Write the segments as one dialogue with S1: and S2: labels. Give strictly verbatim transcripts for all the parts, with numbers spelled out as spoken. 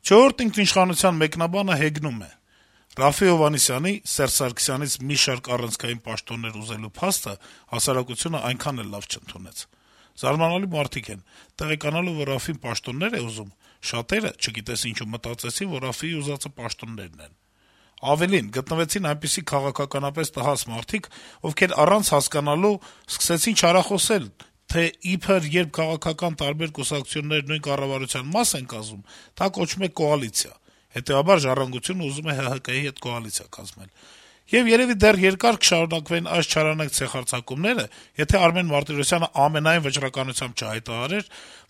S1: «Չորրորդ ինքնիշխանության» մեկնաբանը հեգնում է. - «Րաֆֆի Հովհաննիսյանի, Սերժ Սարգսյանից մի շարք առանցքային պաշտոններ ուզելու փաստը հասարակությունը այնքան էլ լավ չընդունեց: Զարմանալի մարդիկ են: Տեղեկանալով, որ Րաֆֆին պաշտոններ է ուզում, շատերը, չգիտես ինչու, մտածեցին, որ Րաֆֆիի ուզածը պաշտոններն են: Ավելին, գտնվեցին այնպիսի քաղաքականապես տհաս մարդիկ, ովքեր առանց հասկանալու սկսեցին չարախոսել, թե իբր երբ քաղաքական տարբեր կուսակցություններ նույն կառավարության մաս են կազմում, դա կոչվում է կոալիցիա: Հետեւաբար «Ժառանգությունը» ուզում է ՀՀԿ-ի հետ կոալիցիա կազմել: Եվ երեւի դեռ երկար կշարունակվեն այս չարանակ ցեխարձակումները, եթե Արմեն Մարտիրոսյանը ամենայն վճռականությամբ չհայտարարեր,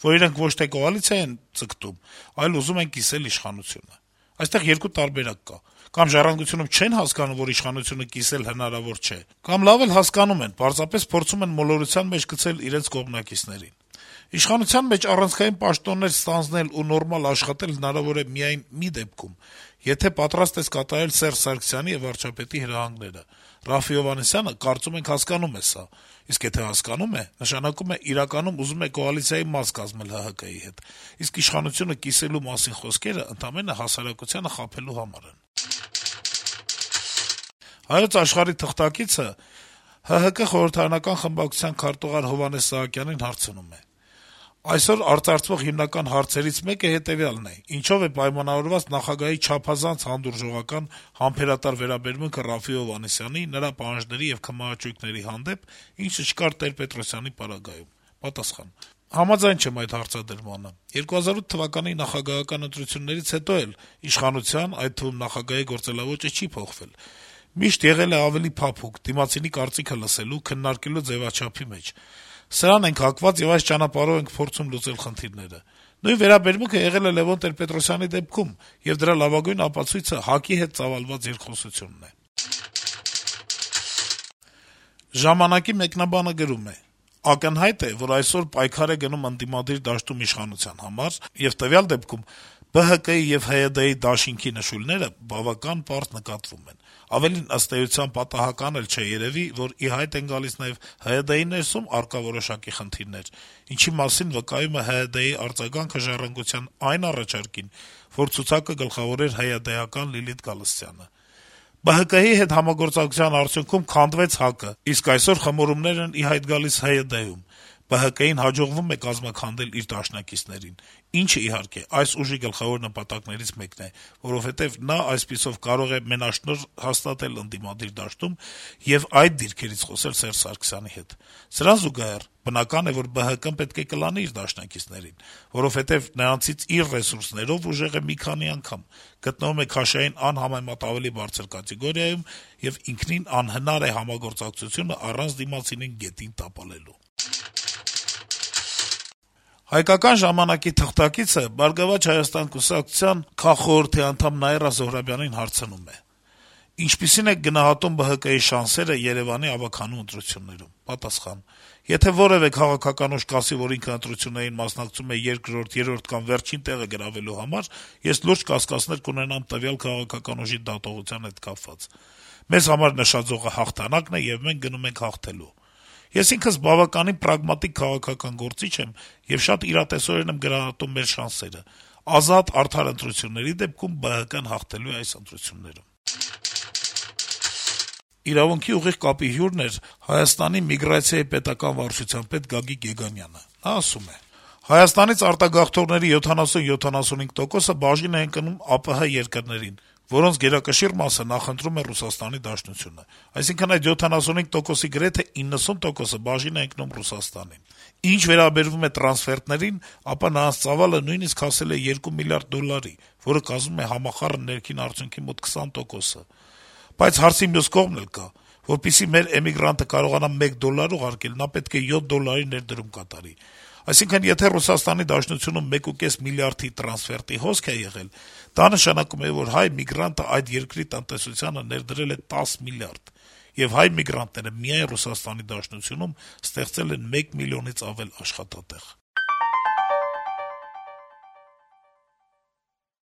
S1: որ իրենք ոչ թե կոալիցիա են ձգտում, այլ ուզում են կիսել իշխանությունը: Այստեղ երկու տարբերակ կա: Կամ «Ժառանգությունում» չեն հասկանում, որ իշխանությունը կիսել հնարավոր չէ, կամ լավ էլ հասկանում են, պարզապես փորձում են մոլորության մեջ գցել իրենց կողմնակիցներին: Իշխանության մեջ առանցքային պաշտոններ ստանձնել ու նորմալ աշխատել հնարավոր է միայն մի դեպքում, եթե պատրաստ ես կատարել Սերժ Սարգսյանի եւ վարչապետի հրահանգները: Րաֆֆի Հովհաննիսյանը, կարծում ենք, հասկանում է սա: Իսկ եթե հասկանում է, նշանակում է իրականում ուզում է կոալիցիայի մաս կազմել ՀՀԿ-ի հետ, իսկ իշխանությունը կիսելու մասին խոսքերը ընդամենը հասարակությանը խաբելու համար են»: «Հայոց Աշխարհ»-ի թղթակիցը ՀՀԿ խորհրդարանական խմբակցության քարտուղար Հովհաննես Սահակյանին հարցնում է. - «Այսօր արծարծվող հիմնական հարցերից մեկը հետեւյալն է. ինչո՞վ է պայմանավորված նախագահի չափազանց հանդուրժողական, համբերատար վերաբերմունքը Րաֆֆի Հովհաննիսյանի, նրա պահանջների եւ քմահաճույքների հանդեպ, ինչը չկար Տեր-Պետրոսյանի պարագայում»: Պատասխան. - «Համաձայն չեմ այդ հարցադրմանը: երկու հազար ութ թվականի նախագահական ընտրություններից հետո էլ իշխանության, այդ թվում նախագահի գործելաոճը չի փոխվել: Միշտ եղել է ավելի փափուկ, դիմացինի կարծիքը լսելու, քննարկելու ձեւաչափի մեջ: Սրան ենք հակված եւ այս ճանապարհով ենք փորձում լուծել խնդիրները: Նույն վերաբերմունքը եղել է Լեւոն Տեր-Պետրոսյանի դեպքում, եւ դրա լավագույն ապացույցը ՀԱԿ-ի հետ ծավալված երկխոսությունն է»: «Ժամանակ»-ի մեկնաբանը գրում է. - «Ակնհայտ է, որ այսօր պայքար է գնում ընդդիմադիր դաշտում իշխանության համար, եւ տվյալ դեպքում ԲՀԿ-ի եւ ՀՅԴ-ի դաշինքի նշույլները բավական պարզ նկատվում են: Ավելին, ըստ էության, պատահական էլ չէ երեւի, որ ի հայտ են գալիս նաեւ ՀՅԴ-ի ներսում առկա որոշակի խնդիրներ, ինչի մասին վկայում է ՀՅԴ-ի արձագանքը «Ժառանգության» այն առաջարկին, որ ցուցակը գլխավորեր ՀՅԴ-ական Լիլիթ Գալստյանը: ԲՀԿ-ի հետ համագործակցության արդյունքում քանդվեց ՀԱԿ-ը, իսկ այսօր խմորումներ են ի հայտ գալիս ՀՅԴ-ում: ԲՀԿ-ին հաջողվում է կազմաքանդել իր դաշնակիցներին, ինչը, իհարկե, այս ուժի գլխավոր նպատակներից մեկն է, որովհետեւ նա այսպիսով կարող է մենաշնորհ հաստատել ընդդիմադիր դաշտում եւ այդ դիրքերից խոսել Սերժ Սարգսյանի հետ: Սրան զուգահեռ, բնական է, որ ԲՀԿ-ն պետք է կլանի իր դաշնակիցներին, որովհետեւ նրանցից իր ռեսուրսներով ուժեղ է մի քանի անգամ, գտնվում է քաշային անհամեմատ ավելի բարձր կատեգորիայում եւ ինքնին անհնար է համագործակցությունը առանց դիմացինին գետին տապալելու»: «Հայկական ժամանակ»-ի թղթակիցը «Բարգավաճ Հայաստան» կուսակցության քաղխորհրդի անդամ Նաիրա Զոհրաբյանին հարցնում է. - «Ինչպիսի՞ն եք գնահատում ԲՀԿ-ի շանսերը Երեւանի ավագանու ընտրություններում»: Պատասխան. - «Եթե որեւէ քաղաքական ուժ կասի, որ ինքը ընտրություններին մասնակցում է երկրորդ, երրորդ կամ վերջին տեղը գրավելու համար, ես լուրջ կասկածներ կունենամ տվյալ քաղաքական ուժի դատողության հետ կապված: Մեզ համար նշաձողը հաղթանակն է, եւ մենք գնում ենք հաղթելու: Ես ինքս բավականին պրագմատիկ քաղաքական գործիչ եմ եւ շատ իրատեսորեն եմ գնահատում մեր շանսերը: Ազատ, արդար ընտրությունների դեպքում ԲՀԿ-ն հաղթելու է այս ընտրություններում»: «Իրավունք»-ի ուղիղ կապի հյուրն էր Հայաստանի միգրացիայի պետական վարչության պետ Գագիկ Եգանյանը: Նա ասում է. - «Հայաստանից արտագաղթողների յոթանասուն - յոթանասունհինգ տոկոսը բաժին է ընկնում ԱՊՀ երկրներին, որոնց գերակշիռ մասը նախընտրում է Ռուսաստանի Դաշնությունը: Այսինքն` այդ յոթանասունհինգ տոկոսի գրեթե իննսուն տոկոսը բաժին է ընկնում Ռուսաստանին: Ինչ վերաբերում է տրանսֆերտներին, ապա նրանց ծավալը նույնիսկ հասել է երկու միլիարդ դոլարի, որը կազմում է համախառն ներքին արդյունքի մոտ քսան տոկոսը: Բայց հարցի մյուս կողմն էլ կա: Որպեսզի մեր էմիգրանտը կարողանա մեկ դոլար ուղարկել, նա պետք է յոթ դոլարի ներդրում կատարի: Այսինքն, եթե Ռուսաստանի Դաշնությունում մեկուկես միլիարդի տրանսֆերտի հոսք է եղել, դա նշանակում է, որ հայ միգրանտը այդ երկրի տնտեսությանը ներդրել է տասը միլիարդ: Եվ հայ միգրանտները միայն Ռուսաստանի Դաշնությունում ստեղծել են մեկ միլիոնից ավել աշխատատեղ»: